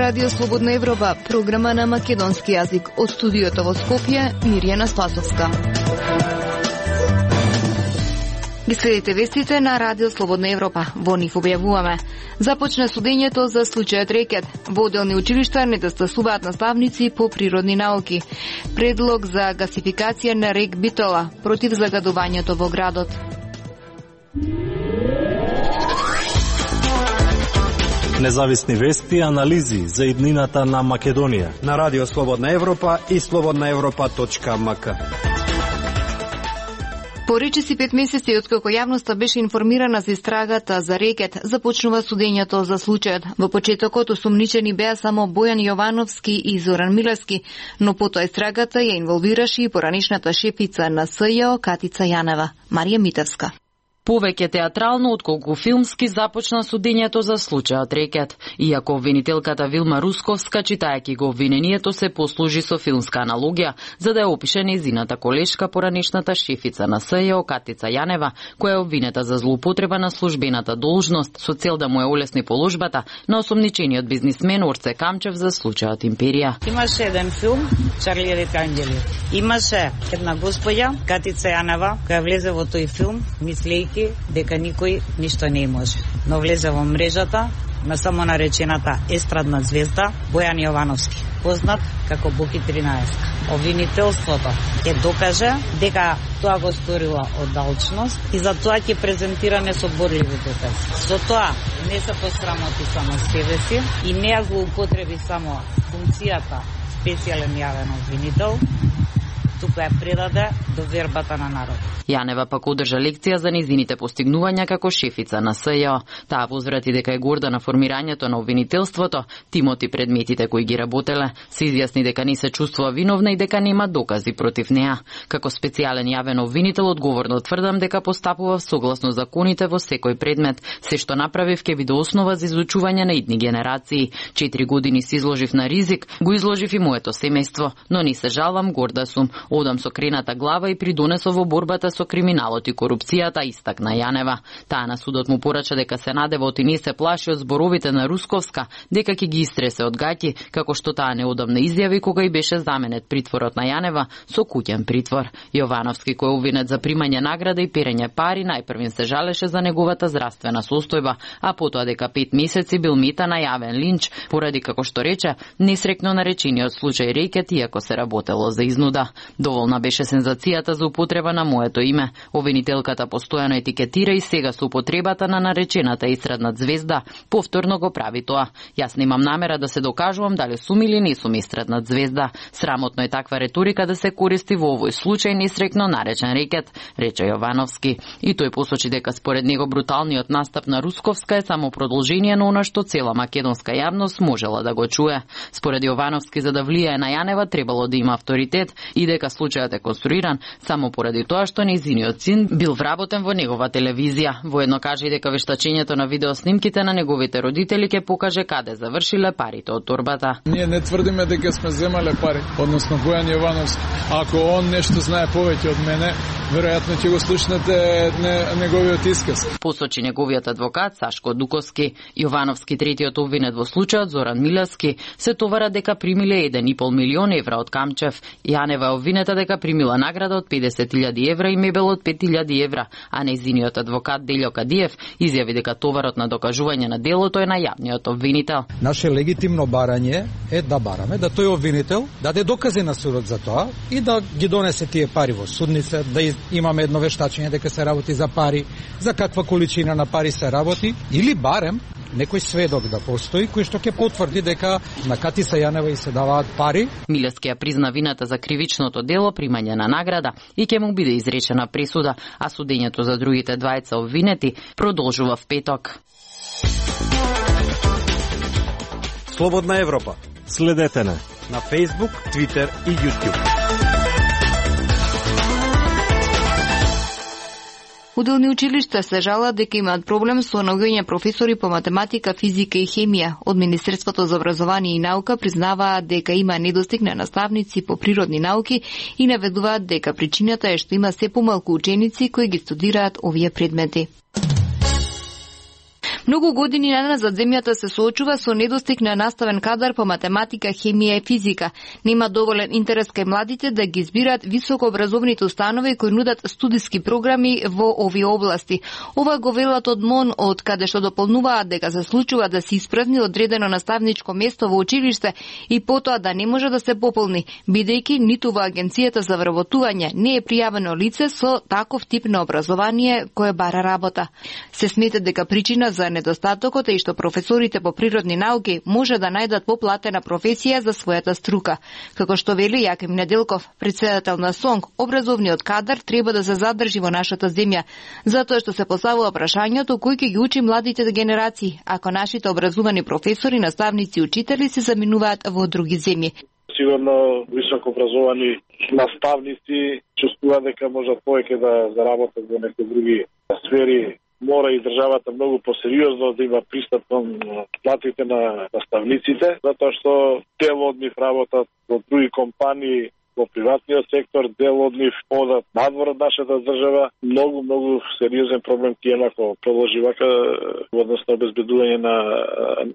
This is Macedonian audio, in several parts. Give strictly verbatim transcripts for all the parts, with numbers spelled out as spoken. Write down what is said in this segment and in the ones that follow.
Радио Слободна Европа, програма на македонски јазик. Од студиото во Скопје, Мирјана Спасовска. Ги следите вестите на Радио Слободна Европа. Во нив објавуваме. Започна судењето за случајот рекет. Во одделни училишта недостасуваат наставници по природни науки. Предлог за гасификација на рек Битола против загадувањето во градот. Независни вести и анализи за иднината на Македонија на Радио Слободна Европа и слободна европа точка ем ка. Поречиси пет месеци откако јавноста беше информирана за истрагата за рекет, започнува судењето за случајот. Во почетокот осумничени беа само Бојан Јовановски и Зоран Милевски, но потоа истрагата ја инволвираше и поранишната шефица на С Ј О Катица Јанева, Марија Митевска. Повеќе театрално отколку филмски започна судењето за случајот рекет. Иако обвинителката Вилма Русковска, читајќи го обвинението, се послужи со филмска аналогија, за да ја опише нејзината колешка, поранишната шефица на С Ј О Катица Јанева, која е обвинета за злоупотреба на службената должност со цел да му ја олесни положбата на осомничениот бизнисмен Орце Камчев за случајот Империја. Имаше еден филм Чарли и рете ангели. Имаше една господја Катица Јанева која влезе во тој филм мислејќи дека никој ништо не може. Но влезе во мрежата на само наречената естрадна звезда Бојан Јовановски, познат како Боки тринаесет. Обвинителството ќе докаже дека тоа го сторила од алчност и за тоа ќе презентира несоборливи докази. За тоа не се посрамоти само себе си и не ја злоупотреби само функцијата специјален јавен обвинител, туку ја предаде до вербата на народот. Јанева пак одржа лекција за незините постигнувања како шефица на С Ј О. Таа возврати дека е горда на формирањето на обвинителството, тимот и предметите кои ги работеле, се изјасни дека не се чувствува виновна и дека нема докази против неа. Како специјален јавен обвинител одговорно тврдам дека постапува согласно законите во секој предмет. Се што направив ќе биде основа за изучување на идни генерации. Четири години се изложив на ризик, го изложив и моето семејство, но не се жалвам, горда сум. Одам со крената глава и придонесов во борбата со криминалот и корупцијата, истакна Јанева. Таа на судот му порача дека се надевот и не се плаши од зборовите на Русковска, дека ќе ги истресе од гаќи, како што таа неодамна изјави кога и беше заменет притворот на Јанева со куќен притвор. Јовановски, кој е обвинет за примање награда и перење пари, најпрвен се жалеше за неговата здравствена состојба, а потоа дека пет месеци бил мета на јавен линч, поради, како што рече, несрекно наречениот случај рекет, иако се работело за изнуда. Доволна беше сензацијата за употреба на моето име. Обвинителката постојано етикетира и сега со употребата на наречената естрадна звезда повторно го прави тоа. Јас немам намера да се докажувам дали сум или не сум естрадна звезда. Срамотно е таква реторика да се користи во овој случај несрекно наречен рекет, рече Јовановски. И тој посочи дека според него бруталниот настап на Русковска е само продолжение на она што цела македонска јавност можела да го чуе. Според Јовановски, за да влијае на Јанева требало да има авторитет и дека случајот е конструиран само поради тоа што нејзиниот син бил вработен во негова телевизија. Воедно кажа и дека вештачењето на видеоснимките на неговите родители ќе покаже каде завршиле парите од торбата. Ние не тврдиме дека сме земале пари, односно Бојан Јовановски. Ако он нешто знае повеќе од мене, веројатно ќе го слушнете не, неговиот исказ. Посочи неговиот адвокат Сашко Дуковски. Јовановски, третиот обвинет во случајот, Зоран Милевски, се товара дека примиле еден и пол милион евра од Камчев. Јанева е обвинета дека примила награда од педесет илјади евра и мебел од пет илјади евра, а нејзиниот адвокат Делјо Кадиев изјави дека товарот на докажување на делото е на јавниот обвинител. Наше легитимно барање е да бараме да тој обвинител даде докази на судот за тоа и да ги донесе тие пари во судница, да имаме едно вештачење дека се работи за пари, за каква количина на пари се работи, или барем некој сведок да постои кој што ќе потврди дека на Катица Јанева и се даваат пари. Милевски ја призна вината за кривичното дело, примање на награда, и ќе му биде изречена пресуда, а судењето за другите двајца обвинети продолжува в петок. Слободна Европа. Следете на на Facebook, Twitter и YouTube. Одделни училишта се жалат дека имаат проблем со наоѓање професори по математика, физика и хемија. Од Министерството за образование и наука признаваат дека има недостиг на наставници по природни науки и наведуваат дека причината е што има се помалку ученици кои ги студираат овие предмети. Многу години наназад земјата се соочува со недостиг на наставен кадар по математика, хемија и физика. Нема доволен интерес кај младите да ги избираат високообразовните установи кои нудат студиски програми во овие области. Ова го велат од МОН, од каде што дополнуваат дека се случува да се испразни одредено наставничко место во училиште и потоа да не може да се пополни, бидејќи ниту во Агенцијата за вработување не е пријавено лице со таков тип на образование кое бара работа. Се смета дека причина за недостатокот е и што професорите по природни науки може да најдат поплатена професија за својата струка. Како што вели Јаким Неделков, председател на СОНГ, образовниот кадар треба да се задржи во нашата земја, затоа што се поставува прашањето кој ќе ги учи младите генерации, ако нашите образовани професори, наставници и учители се заминуваат во други земји. Сигурно високо образовани наставници чувствуваат дека можат повеќе да заработат во некои други сфери. Мора и државата многу посериозно да има пристап кон платите на наставниците, затоа што дел од нив работат во други компании во приватниот сектор, дел од нив одат надвор од нашата држава. Многу, многу сериозен проблем ќе има ако продолжи вака во однос на обезбедување на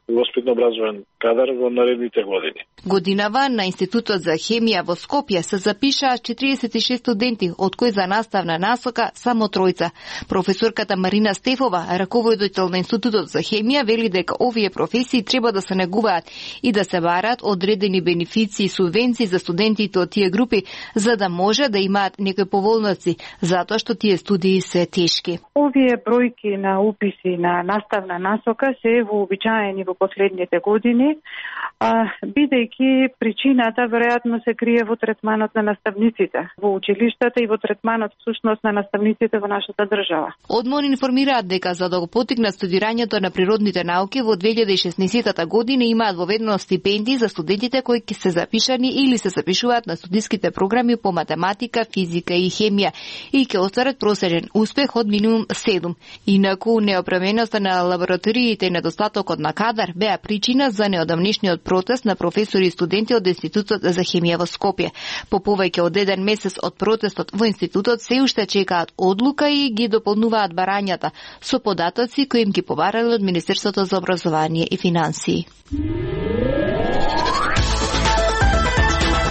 воспитно-образовен кадар во наредните години. Годинава на Институтот за хемија во Скопје се запишаа четириесет и шест студенти, од кои за наставна насока само тројца. Професорката Марина Стефова, раководител на Институтот за хемија, вели дека овие професии треба да се негуваат и да се бараат одредени бенефиции и субвенции за студентите од тие групи, за да може да имаат некои поволности, затоа што тие студии се тешки. Овие бројки на уписи на наставна насока се вообичаени во последните години, а, бидејќи причината веројатно се крие во третманот на наставниците во училиштата и во третманот всушност на наставниците во нашата држава. Од МОН информираат дека за да го поттикнат студирањето на природните науки во две илјади и шеснаесетта година имаат воведено стипендии за студентите кои ќе се запишани или се запишуваат на студиските програми по математика, физика и хемија и ќе остварат просечен успех од минимум седум. Инаку неопременоста на лабораториите и недостатокот на кадар беа причина за неодамнешниот протест на професори и студенти од Институтот за хемија во Скопје. По повеќе од еден месец од протестот во институтот се уште чекаат одлука и ги дополнуваат барањата со податоци кои им ги побарале од Министерството за образование и финансии.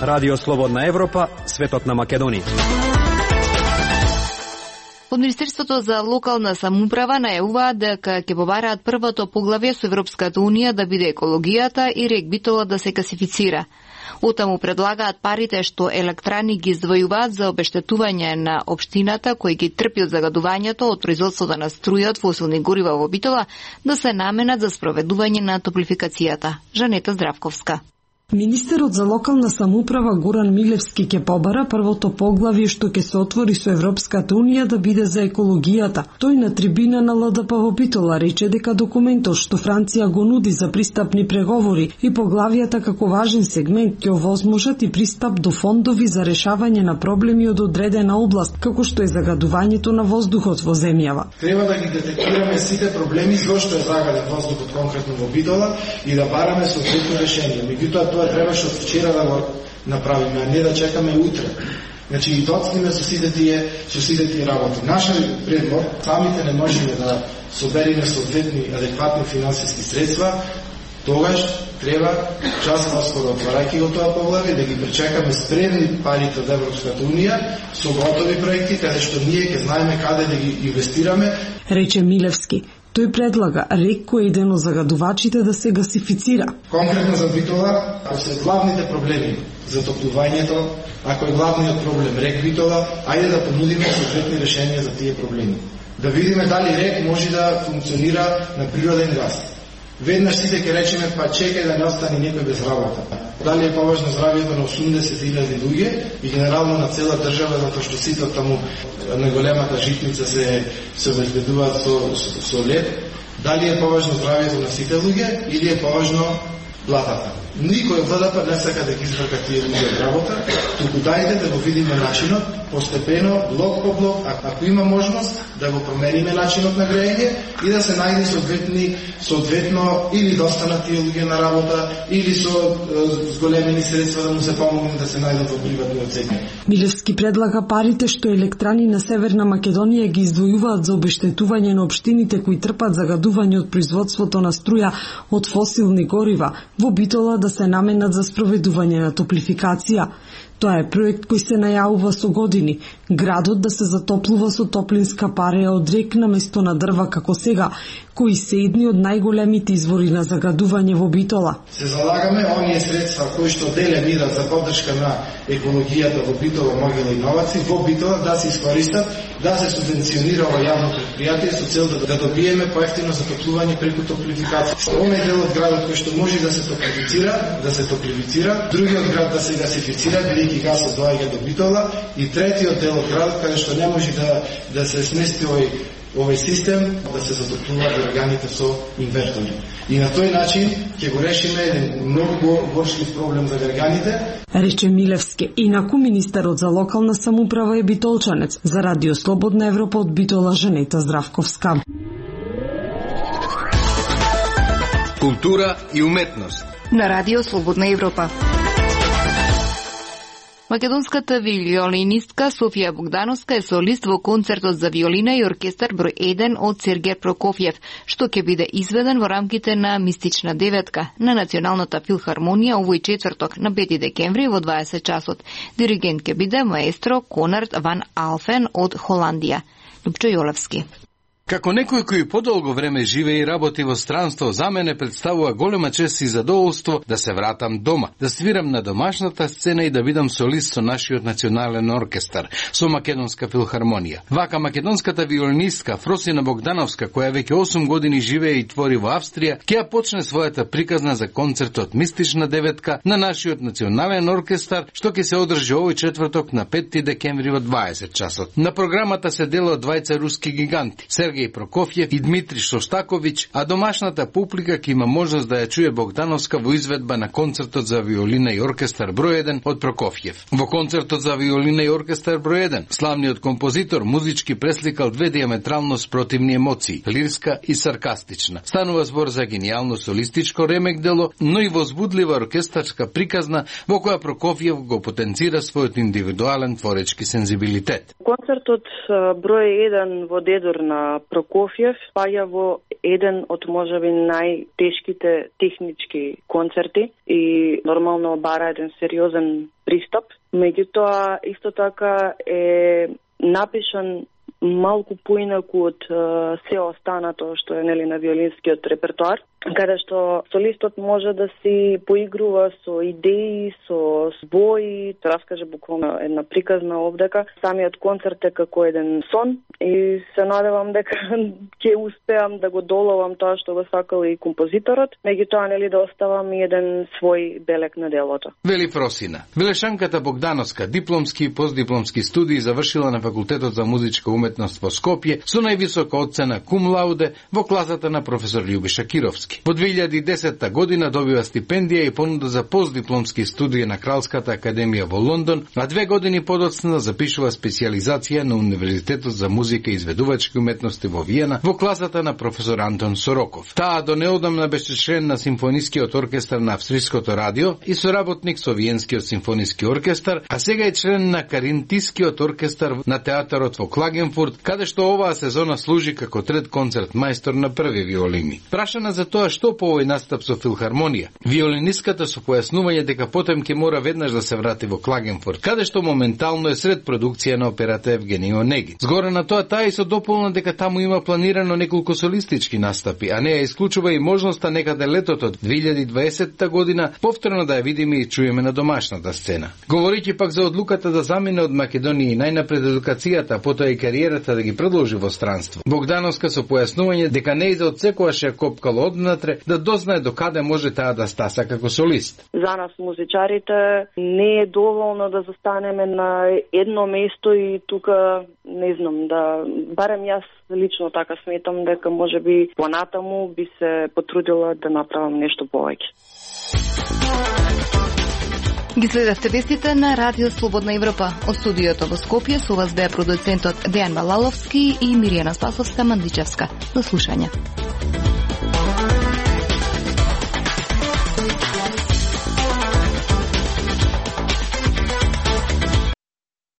Радио Слободна Европа, светот на Македонија. Од Министерството за локална самоуправа најавуваат дека ќе побараат првото поглавје со Европската унија да биде екологијата и регбитолот да се гасифицира. Отаму предлагаат парите што електрани ги издвојуваат за обештетување на општината кои ги трпи од загадувањето од производството на струја од фосилни горива во Битола да се наменат за спроведување на топлификацијата. Жанета Здравковска. Министерот за локална самоуправа Горан Милевски ќе побара првото поглавје што ќе се отвори со Европската унија да биде за екологијата. Тој на трибина на ЛДП во Битола рече дека документот што Франција го нуди за пристапни преговори и поглавјата како важен сегмент ќе овозможат и пристап до фондови за решавање на проблеми од одредена област, како што е загадувањето на воздухот во земјава. Треба да ги детектираме сите проблеми зошто е загаден воздухот конкретно во Битола и да бараме соодветно решение. Меѓутоа требаше од вчера да го направиме, а не да чекаме утре. Значи и доцниме со сите тие, со сите тие работи. Нашиот предлог, самите не можеме да собериме соодветни адекватни финансиски средства, тогаш треба час поскоро отварајќи го тоа поглавје да ги пречекаме спремни парите од Европската унија со готови проекти каде што ние ќе знаеме каде да ги инвестираме. Рече Милевски. Тој предлага рек кој е еден од загадувачите да се гасифицира. Конкретно за Битола, ако се главните проблеми за топлувањето, ако е главниот проблем рек Битола, ајде да понудиме соодветни решенија за тие проблеми. Да видиме дали рек може да функционира на природен газ. Веднаш сите ќе речеме, па чекај да не остане некој без работа. Дали е поважно здравието на осумдесет илјади луѓе и генерално на цела држава, затоа што сите таму на големата житница се се обезбедуваат со, со, со лед. Дали е поважно здравието на сите луѓе или е поважно платата. Никој од ВДП не сака да ги изврка тие луѓе од работа, туку дајте да го видиме начинот, постепено, блок по блок, а ако има можност да го промениме начинот на грејење и да се најде соодветни, соодветно или да останат тие луѓе на работа, или со зголемени средства да му се помогне да се најдат во приватни одсеки. Милевски предлага парите што електрани на Северна Македонија ги издвојуваат за обештетување на општините кои трпат загадување од производството на струја од фосилни горива во Битола да се наменат за спроведување на топлификација. Тоа е проект кој се најавува со години. Градот да се затоплува со топлинска пареја од рек на место на дрва како сега, кои се едни од најголемите извори на загадување во Битола. Се залагаме оние средства кои што деле мират за поддршка на екологијата во Битола, Могила и Новаци, во Битола да се искористат, да се субвенционира ова јавно предпријатие со цел да, да добиеме поевтино затоплување преку топлификација. Оној дел од градот кој што може да се топлифицира, да се топлифицира, другиот град да се гасифицира, бидејќи гасот доаѓа до Битола, и третиот дел од градот каде што не може да да се смести овој овој систем да се затоплуваат органите со инвертори. И на тој начин ќе го решиме еден многу горшлив проблем за граѓаните. Рече Милевски. Инаку министерот за локална самоуправа е битолчанец. За Радио Слободна Европа од Битола Женета Здравковска. Култура и уметност. На Радио Слободна Европа. Македонската виолинистка Софија Богдановска е солист во концертот за виолина и оркестар број еден од Сергеј Прокофјев, што ќе биде изведен во рамките на Мистична деветка на Националната филхармонија овој четврток на пети декември во дваесет часот. Диригент ќе биде маестро Конард ван Алфен од Холандија. Лупчо Јолевски. Како некој кој подолго време живее и работи во странство, за мене представува голема чест и задоволство да се вратам дома, да свирам на домашната сцена и да бидам солист со нашиот национален оркестар, со Македонска филхармонија. Вака македонската виолинистка Фросина Богдановска, која веќе осум години живее и твори во Австрија, ќе ја почне својата приказна за концертот Мистична деветка на нашиот национален оркестар, што ќе се одржи овој четврток на пети декември во дваесет часот. На програмата се дела од двајца руски гиганти, Сергеј Прокофјев и Дмитри Шостаковиќ, а домашната публика ќе има можност да ја чуе Богдановска во изведба на концертот за виолина и оркестар број еден од Прокофјев. Во концертот за виолина и оркестар број еден, славниот композитор музички пресликал две диаметрално спротивни емоции, лирска и саркастична. Станува збор за генијално солистичко ремек дело, но и возбудлива оркестарска приказна во која Прокофјев го потенцира својот индивидуален творечки сензибилитет. Концертот број еден во Дедор на Прокофјев спаѓа во еден од можеби најтешките технички концерти и нормално бара еден сериозен пристап. Меѓутоа, исто така е напишан малку поинаку од uh, се останато што е нели на виолинскиот репертоар, каде што солистот може да си поигрува со идеи, со збои, да раскаже буквално една приказна овдека. Самиот концерт е како еден сон и се надевам дека ќе успеам да го доловам тоа што го сакал и композиторот, меѓутоа нели да оставам и еден свој белек на делото. Вели Фросина. Велешанката Богдановска дипломски и постдипломски студии завршила на факултетот за музичка уметност во Скопје со највисока оцена кум лауде во класата на професор Љубиша Кировски. Во две илјади и десета година добива стипендија и понуда за постдипломски студии на Кралската академија во Лондон, а две години подоцна запишува специјализација на Универзитетот за музика и изведувачки уметности во Виена во класата на професор Антон Сороков. Таа до неодамна беше член на симфонискиот оркестар на Австриското радио и соработник со Виенскиот симфониски оркестар, а сега е член на Каринтискиот оркестар на театарот во Клагенфурт, каде што оваа сезона служи како трет концерт мајстор на први виолини. Прашана за тоа што по овој настап со филхармонија, виолинистката со појаснување дека потем ќе мора веднаш да се врати во Клагенфурт, каде што моментално е сред продукција на операта Евгений Онегин. Згоре на тоа, таа и со дополна дека таму има планирано неколку солистички настапи, а не ја исклучува и можноста некаде летото две илјади и дваесетта година повторно да ја видиме и чуеме на домашната сцена. Говорејќи пак за одлуката да замине од Македонија и најнапред едукацијата, потоа и кариерата да ги продолжи во странство, Богдановска со појаснување дека нејза од секојаш ја копкала однадеж понатре да дознае до каде може таа да стаса како солист. За нас музичарите не е доволно да застанеме на едно место и тука не знам, да барем јас лично така сметам дека можеби понатаму би се потрудила да направам нешто повеќе. Ги следевте вестите на Радио Слободна Европа. Од студиото во Скопје со вас беа продуцентот Дејан Балаловски и Миријана Спасовска-Мандичевска. До слушање.